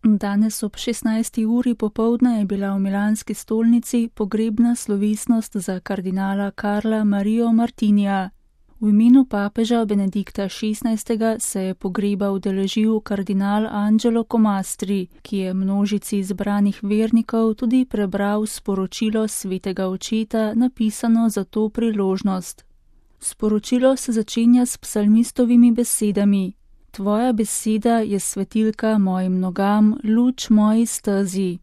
Danes ob 16. uri popoldne je bila v milanski stolnici pogrebna slovesnost za kardinala Karla Mario Martinija. V imenu papeža Benedikta XVI. Se je pogreba udeležil kardinal Angelo Comastri, ki je množici zbranih vernikov tudi prebral sporočilo svetega očeta, napisano za to priložnost. Sporočilo se začenja s psalmistovimi besedami: Tvoja beseda je svetilka mojim nogam, luč moji stezi.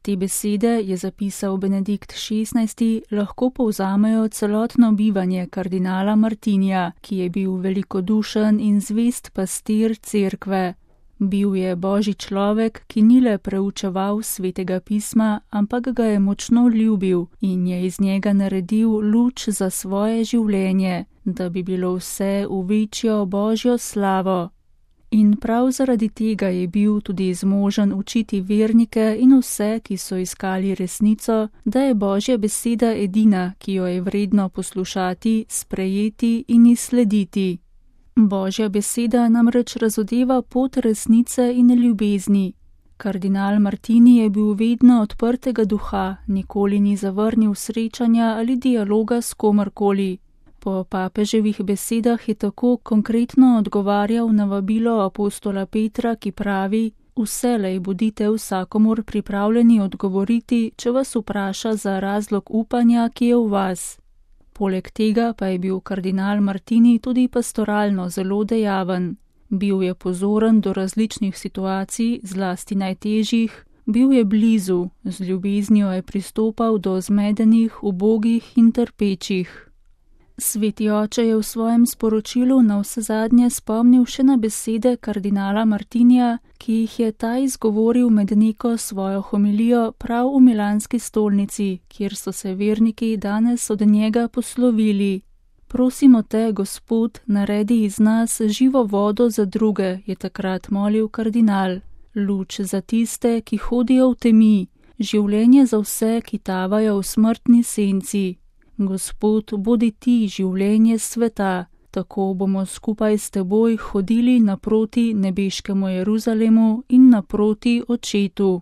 Te besede, je zapisal Benedikt XVI., lahko povzamejo celotno bivanje kardinala Martinija, ki je bil velikodušen in zvest pastir cerkve. Bil je božji človek, ki ni le preučeval svetega pisma, ampak ga je močno ljubil in je iz njega naredil luč za svoje življenje, da bi bilo vse v večjo božjo slavo. In prav zaradi tega je bil tudi zmožen učiti vernike in vse, ki so iskali resnico, da je božja beseda edina, ki jo je vredno poslušati, sprejeti in izslediti. Božja beseda namreč razodeva pot resnice in ljubezni. Kardinal Martini je bil vedno odprtega duha, nikoli ni zavrnil srečanja ali dialoga s komorkoli. Po papeževih besedah je tako konkretno odgovarjal na vabilo apostola Petra, ki pravi: Vselej bodite vsakomur pripravljeni odgovoriti, če vas vpraša za razlog upanja, ki je v vas. Poleg tega pa je bil kardinal Martini tudi pastoralno zelo dejaven. Bil je pozoren do različnih situacij, zlasti najtežjih, bil je blizu, z ljubeznijo je pristopal do zmedenih, ubogih in trpečih. Sveti oče je v svojem sporočilu navsezadnje spomnil še na besede kardinala Martinija, ki jih je ta izgovoril med neko svojo homilijo prav v milanski stolnici, kjer so se verniki danes od njega poslovili. Prosimo te, Gospod, naredi iz nas živo vodo za druge, je takrat molil kardinal. Luč za tiste, ki hodijo v temi, življenje za vse, ki tavajo v smrtni senci. Gospod, bodi ti življenje sveta, tako bomo skupaj s teboj hodili naproti nebeškemu Jeruzalemu in naproti Očetu.